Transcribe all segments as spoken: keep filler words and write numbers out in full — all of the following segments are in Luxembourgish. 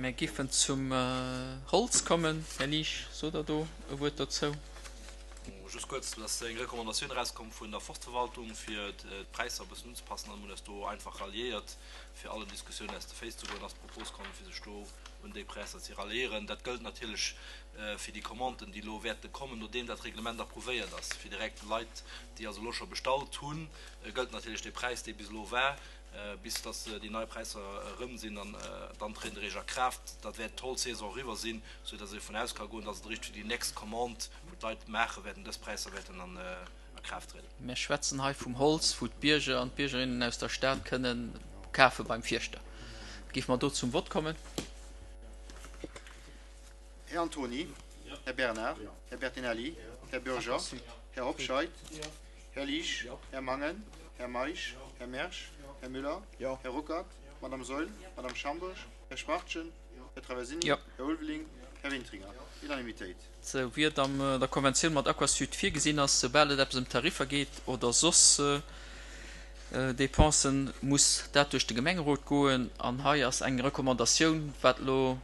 Mär giffen zum Holz kommen. Här Liesch, sot Der do e Wuert dozou? Just kuerz, Et ass eng Recommandatioun erauskomm vun der Forstverwaltung, fir d'Präisser e bëssen unzepassen. An mir hunn eis do einfach ralliéiert, fir allen Diskussiounen aus de Féiss ze goen, ass d'Propos komm, fir sech do un déi Präisser ze ralliéieren. Dat gëllt natierlech fir déi Commanden, déi elo wäerte kommen, nodeem dat Reglement approuvéiert ass. Fir direkt Leit, déi also elo scho bestallt hunn, gëllt natierlech dee Präis, dee bis elo war. Bis dass déi nei Präisser erëm sinn an dann trëtt eréischt a Kraaft. Dat wäert d'Holzsaison eriwwer sinn, sou dass ee vun aus ka goen, dass et eréischt fir déi nächst Commande, wou d'Leit maache wäerten, dës Präisser wäerten an a Kraaft trieden. Mir schwätzen hei vum Holz, wou d'Bierger an d'Biergerinnen aus der Stad kënnen kafe beim Fierschter. Géife mer do zum Vott kommen? Här Antony, Här Bernard, Här Bertinelli, Här Bürger, Här Hobscheit, Här Liesch, Här Mangen, Här Meisch, Här Mersch, Här Müller, Här Ruckert, Madame Saeul, Madame Schambourg, Här Schwachtgen, Här Traversini, Här Ulveling, Här Wintringer. Unanimitéit. Sou wéi et an der Konventioun mat Aquasud virgesinn ass, soubal et eppes ëm Tariffer geet oder soss Dépensen, muss dat duerch de Gemengerot goen. An hei ass eng Recommandatioun, wat elo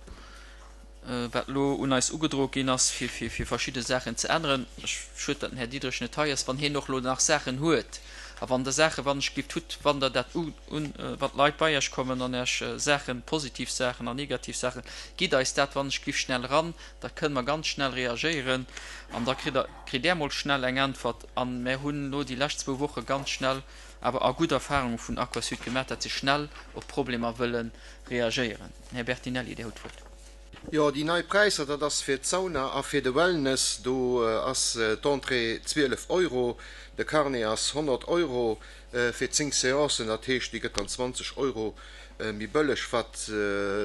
wat elo un eis ugedroe ginn ass, fir fir verschidde Saachen ze änneren. Ech schued, datt den Här Diderich net hei ass, wann hien och elo nach Saachen huet a wann Der Saachen, wann ech gift hutt, wann Der dat un, wann d'Leit bei Iech kommen an Iech Saachen, positiv Saachen an negativ Saachen, gitt eis dat wann ech giff schnell eran, da kënne mer ganz schnell reagéieren an da kritt Der, kritt Där mol schnell eng Äntwert. A mär hunn elo déi lescht zwou Woche ganz schnell awer a gutt Erfahrunge vun Aquasud gemaach, dat se schnell op Problemer wëlle reagéieren. Här Bertinelli, Dir hutt d'Wuert. Jo, déi nei Präisser, dat ass fir d'Sauna a fir de Wellness, do ass d'Entrée zwielef Euro, de Carnet ass honnert Euro fir zéng Seancen, dat heescht, déi gëtt dann zwanzeg Euro méi bëlleg. Wat,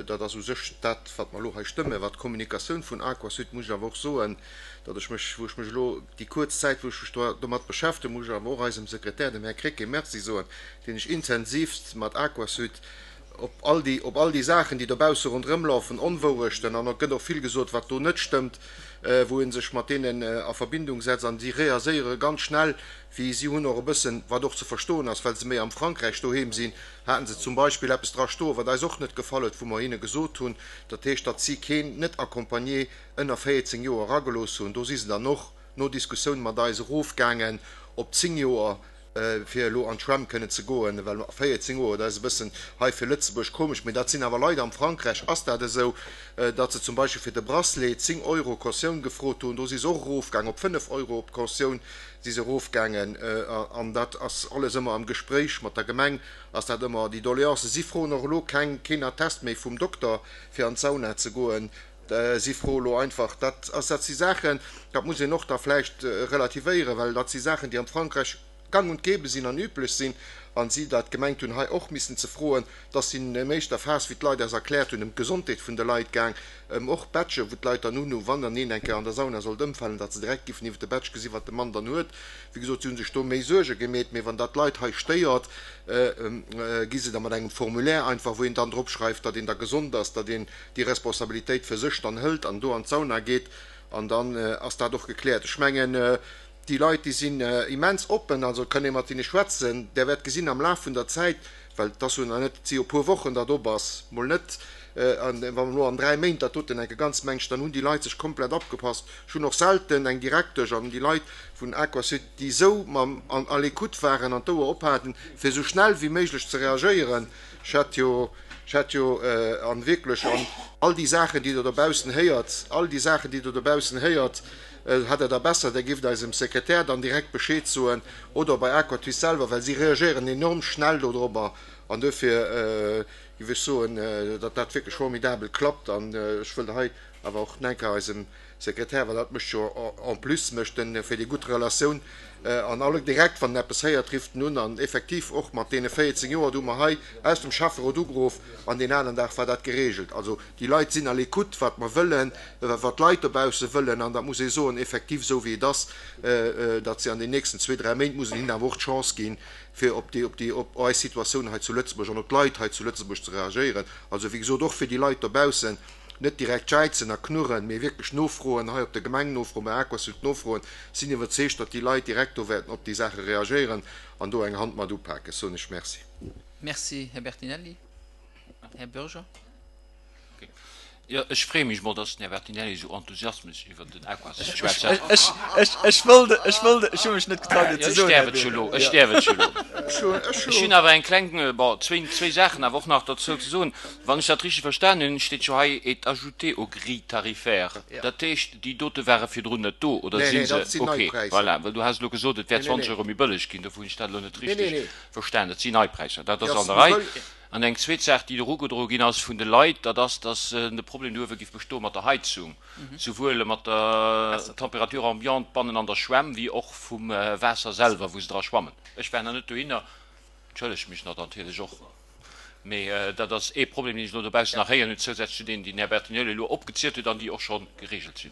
dat ass u sech dat, wat mer elo hei stëmmen. Wat d'Kommunikatioun vun Aquasud, muss ech awer och soen, datt ech mech, wou ech mech elo déi kuerz Zäit, wou ech mech domat beschäftege, muss ech awer och eisem Sekretär, dem Här Krecké, Merci soen, deen ech intensivst mat Aquasud op all déi, op all déi Saachen, déi dobausse ronderëm laufen, Onwourechten, an et gëtt och vill gesot, wat do net stëmmt, wou ee sech mat deenen a Verbindung setzt, an si reagéiere ganz schnell, wéi si hunn och e bëssen, wat och ze verstoen ass, well se méi am Frankräich doheem sinn, haten se zum Beispill eppes dra stoen, wat eis och net gefall huet, wou mer hinne gesot hunn, dat heescht, datt si keen net accompagné ënner véierzéng Joer eragelooss hunn. Do si se dann och no Diskussioun mat eis erofgaangen op zéng Joer. fir elo an d'Schwämm kënnen ze goen, well véierzéng Joer, dat ass e bëssen hei fir Lëtzebuerg komesch, mee dat sinn awer Leit, am Frankräich ass dat esou, datt se zum Beispill fir de Bracelet zéng Euro Cautioun gefrot hunn, do si se och erofgaang op fënnef Euro op d'Cautioun si se erofgaangen. An dat ass alles ëmmer am Gespréich mat der Gemeng ass dat ëmmer déi Doleancen. Si froen och elo keng, keen Attest méi vum Dokter, fir an d'Sauna ze goen. Si froe elo einfach, dat ass, dat si Saachen, dat muss een och da vläicht relativéieren, well dat si Saachen, déi am Frankräich gang und gäbe sinn an üblech sinn, a si dat gemengt hunn, hei och missen ze froen. Dass sinn an éischter Phas, wéi d'Leit eis erkläert hunn, ëm d'Gesondheet vun de Leit gaang, ëm och Badgen, wou d'Leit dann hunn, wann dann een eng Kéier an der Sauna sollt ëmfalen, datt se direkt giffen iwwer de Badge gesinn, wat de Mann dann huet. Wéi gesot, si hu sech do méi Suerge gemeet, mee wann dat d'Leit hei stéiert, gi se da mat engem Formulaire einfach, wou een dann drop schreift, datt een da gesond ass, datt een déi Responsabilitéit fir sech dann hëlt an do an d'Sauna geet, an dann ass dat och gekläert. Ech mengen, déi Leit, déi sinn immens oppen, also et kann ee mat hinne schwätzen. Der wäert gesinn am Laf vun der Zäit, well et ass jo nach net, et si jo e puer Wochen, datt op ass, mol net, an wa mer elo an dräi Méint dat doten enke ganz mengt, dann hunn déi Leit sech komplett apgepasst. Ech hunn och selten eng Direktesch an déi Leit vun Aquasud, déi esou mam an à l'écoute waren an d'Ouer ophaten, fir esou schnell wéi méiglech ze reagéieren. Ech hat jo, ech hat jo, an wierklech, an all déi Saachen, déi Der dobaussen héiert, all déi Saachen, déi Der dobaussen héiert, hätt Der da besser, Der gift eisem Sekretär dann direkt Bescheed soen oder bei Aquatys selwer, well si reagéieren enorm schnell dodrobber. An duerfir géif ech soen, datt dat wierklech formidabel klappt. An ech wëll hei awer och nach eng Kéier eisem Sekretär, well dat mécht jo en plus, mécht en fir déi gutt Relatioun an alle direkt, wann en eppes héiert, rifft en un. An effektiv och mat deene véierzéng Joer, do hu mer hei aus dem Schäfferot ugeruff an deen aneren Dag war dat geregelt. Also déi Leit sinn à l'écoute, wat mer wëllen, wat d'Leit dobausse wëllen. An dat muss ee soen, effektiv esou wéi et ass, datt se an den nächsten zwee, dräi Méint muss een hinnen awer och d'Chance ginn, fir op déi, op déi, op eis Situatioun hei zu Lëtzebuerg an op d'Leit hei zu Lëtzebuerg ze reagéieren. Also wéi gesot, och fir déi Leit dobaussen, net direkt jäizen a knurren, mee wierklech nofroen, hei op der Gemeng nofroen, bei Aquasud nofroen. Sinn iwwerzeegt, datt déi Leit direkt do wäerten op déi Saache reagéieren an do eng Hand mat upaken. Soen ech Merci. Merci, Här Bertinelli. Här Bürger. Jo, ech freeë mech mol, dass den Här Bertinelli esou enthusiasmesch iwwer den Aquasud schwätzt. Ech, ech, ech wollt, ech wollt, ech hu mech net getraut, et ze Ech soen, Här däerf et scho Bürger. lo, ech däerf et scho lo. Ech hunn awer eng kleng, bon, zwéin, zwéi Saachen awer och nach dozou ze soen. Wann ech dat richteg verstanen hunn, steet jo hei et ajouté aux grilles tarifaires. Dat heescht, déi dote ware virdrun net do, oder Nee, si nee, se? dat sinn nei Okay, Präisser. voilà, well du has elo gesot, et wär Nee, nee, zwanzeg nee. Euro méi bëlleg ginn, dofir hunn ech dat elo net Nee, nee, richteg nee. verstanen. Dat sinn nei Präisser, dat Déi ass ass an der méi Rei. bëlleg. An eng zweet Saach, déi erugedroe ginn ass vun de Leit, dat ass, dass de Problem do uewe géif bestoe mat der Heizung, souwuel mat der Température ambiante bannen an der Schwämm wéi och vum Waasser selwer, wou se dra schwammen. Ech war nach net dohinner, entschëllege mech natierlech och, mee dat ass ee Problem, deen ech elo dobaussen nach héieren hunn, zousätzlech zu deenen, déi den Här Bertinelli elo opgezielt huet an déi och scho geregelt sinn.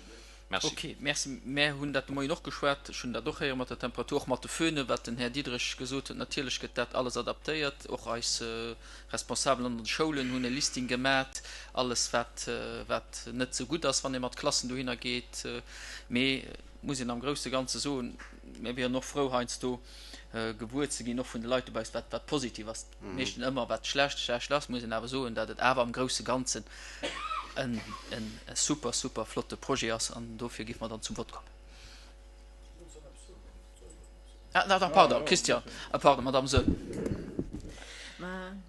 Merci. Ok, merci. Mär hunn dat de Moien och geschwat. Ech hunn dat och héiere mat der Temperatur, och mat de Föhnen, wat den Här Diderich gesot huet. Natierlech gëtt dat alles adaptéiert. Och eis Responsabel an den Schoulen hunn e Listing gemat, alles wat, wat net esou gutt ass, wann ee mat Klassen dohinner geet. Mee muss een am grousse Ganze soen, mir wieren och frou heiansdo gewuer ze ginn, och vun de Leit dobaussen, wat, wat positiv ass. Meeschten ëmmer wat schlecht, schlecht ass, muss een awer soen, datt et awer am grousse Ganzen en, en super, super flotte Projet ass an dofir géife mer dann zum Vott kommen. Ah, na, pardon, Christian, ah, pardon, Madame Saeul.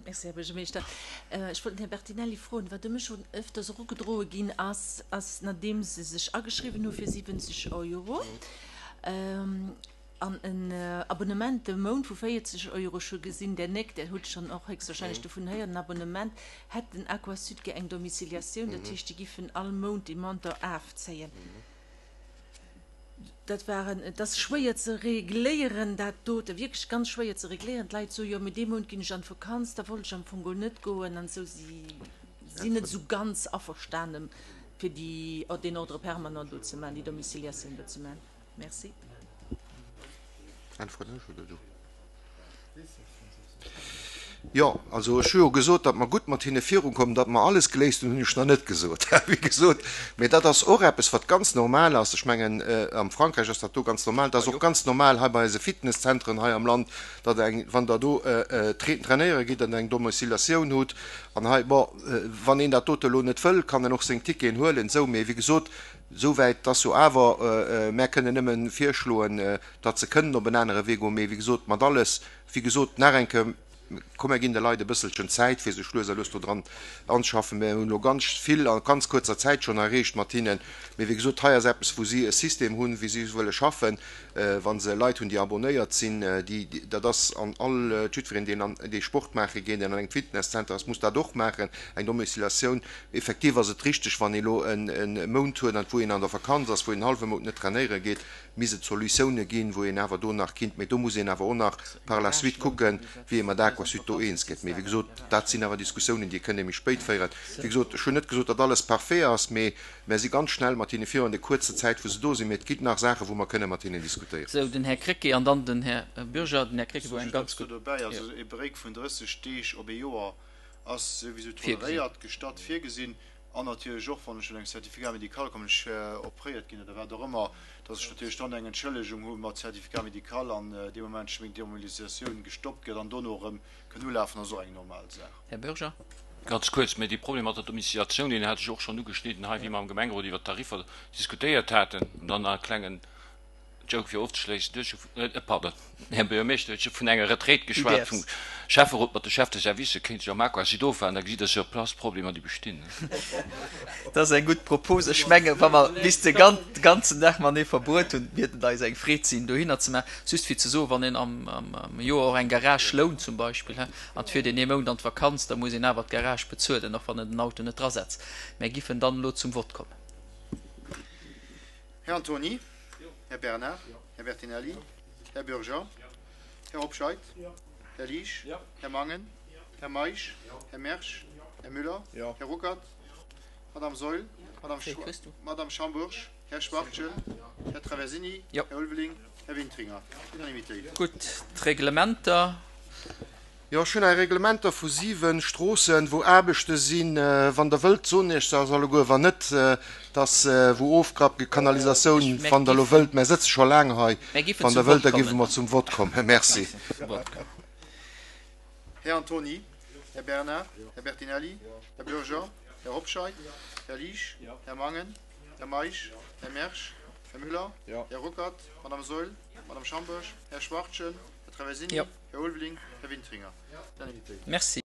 Merci, Här Buergermeeschter. Ech wollt den Här Bertinelli froen, wat u mech schonn ëfters erugedroe ginn ass, ass, nodeem se sech ageschriwwen hu fir siwwenzeg Euro an en Abonnement de Mount vu véierzeg Euro, ech hu gesinn, där néckt, där hutt schonn och héchstwahrscheinlech dovun héieren, en Abonnement, hätt den Aquasud gär eng Domiciliatioun, dat heescht, déi giffen all Mount dee Montant afzéien. Dat waren, et ass schwéier ze regléieren, dat dote, wierklech ganz schwéier ze regléieren. D'Leit soe jo, mee dee Mount ginn ech an d'Vakanz, da wollt ech am Fong geholl net goen an esou. Si sinn net esou ganz averstane fir déi, deen Ordre permanent do ze maachen, déi Domiciliatioun do ze maachen. Merci. Äntweren ech oder du? Jo, also ech hu jo gesot, datt mer gutt mat hinne virukommen. Datt mer alles geléist hunn, hunn ech nach net gesot, wéi gesot. Mee dat ass och eppes, wat ganz normal ass. Ech mengen, am Frankräich ass dat do ganz normal. Dat ass och ganz normal hei bei eise Fitnesszentren hei am Land, datt eng, wann Der do trainéiere gitt, datt Der eng Domiciliatioun hutt. An hei, bon, wann een dat dote elo net wëll, kann en och seng Ticketen huelen, esou. Mee wéi gesot, Souwäit ass jo awer, mär kënnen nëmme virschloen, datt se kënnen op en anere Wee goen. Mee wéi gesot, mat alles, wéi gesot, nach eng Kéier, komm mär ginn de Leit e bësselchen Zäit, fir sech lues a lues do dran anzeschaffen. Mär hunn elo ganz vill a ganz kuerzer Zäit schonn erreecht mat hinnen. Mee wéi gesot, hei ass eppes, wou si e System hunn, wéi si wëlle schaffen, wa se Leit hunn, déi abonnéiert sinn. Déi, dat ass an all, jiddwereen, deen an dee Sport maache geet, deen an engem Fitnesszenter ass, muss dat och maachen, eng Domiciliatioun. Effektiv ass et richteg, wann ee elo e Mount huet, an wou een an der Vakanz ass, wou een en hallwe Mount net trainéiere geet, misst et Solutioune ginn, wou een awer do nach kinnt, mee do muss een awer och nach par la suite kucken, wéi ee mat Aquasud do eens gëtt. Mee wéi gesot, dat sinn awer Diskussiounen, déi kënne méi spéit féieren. Wéi gesot, ech hunn net gesot, datt alles parfait ass, mee mär si ganz schnell mat hinne virun an der kuerzer Zäit, wou se do sinn. Mee et ginn nach Saachen, wou mer kënne mat hinnen diskutéieren. Sou, den Här Krecké an dann den Här Bürger. Den Här Krecké, wou eng ganz Just eppes do gutt. dobäi, also e Break vun drësseg Deeg op ee Joer ass souwisou toleréiert, gestatt, virgesinn. An natierlech och, wann ech un engem Certificat médical kommen, ech opréiert ginn oder wat och ëmmer, dass ech natierlech dann eng Entschëllegung hu mat Certificat médical an dee Moment meng Demobilisatioun gestoppt gëtt an dono erëm kënn ulafen, ass och eng normal Saach. Här Bürger. Ganz kuerz, mä dee Problem mat der Domiciliatioun, deen hat ech och schonn ugeschnidden hei, wéi mer am Gemengerot iwwert d'Tariffer diskutéiert haten. An dann nach e klengen Joke fir ofzeschléissen, Du hues jo, pardon, Här Buergermeeschter huet jo vun enger Retraite geschwat vum Schäfferot mat de Chefs de service, kéint sech am Aquasud ofwaarden, da gesitt Der sur place d'Problemer, déi bestinn. Dat ass eng gutt Propos. Ech mengen, wa mer bis de ganzen Dag matenee verbruet hunn, wiert et eis eng Freed sinn, dohinner ze maachen. Just fir ze soen, wann een am Joer och eng Garage lount zum Beispill, an et fiert een ee Mount an d'Vakanz, da muss een awer d'Garage bezuelen, och wann een den Auto net drasetzt. Mär giffen dann elo zum Vott kommen. Här Antony. Här Bernard. Här Bertinelli. Här Bürger. Här Hobscheit. Här Liesch. Här Mangen. Här Meisch. Här Mersch. Här Müller. Här Ruckert. Madame Saeul. Madame Schambourg. Här Schwachtgen. Här Traversini. Här Ulveling. Här Wintringer. Unanimitéit. Gutt, d'Reglementer. Jo, ech hunn hei Reglementer vu siwe Stroossen, wou Aarbechte sinn. Wann Der wëllt, soen Iech se alleguer. Wann net, dass wou Ofgrapp, Kanalisatioun, wann Der elo wëllt, mär sëtze scho laang hei, wann Der wëllt, da géife mer zum Vott kommen. Merci. Här Antony, Här Bernard, Här Bertinelli, Här Bürger, Här Hobscheit. Här Liesch. Här Mangen. Här Meisch. Här Mersch. Här Müller. Här Ruckert. Madame Saeul. Madame Schambourg. Här Schwachtgen. Här Traversini. Här Ulveling. Här Wintringer. Merci.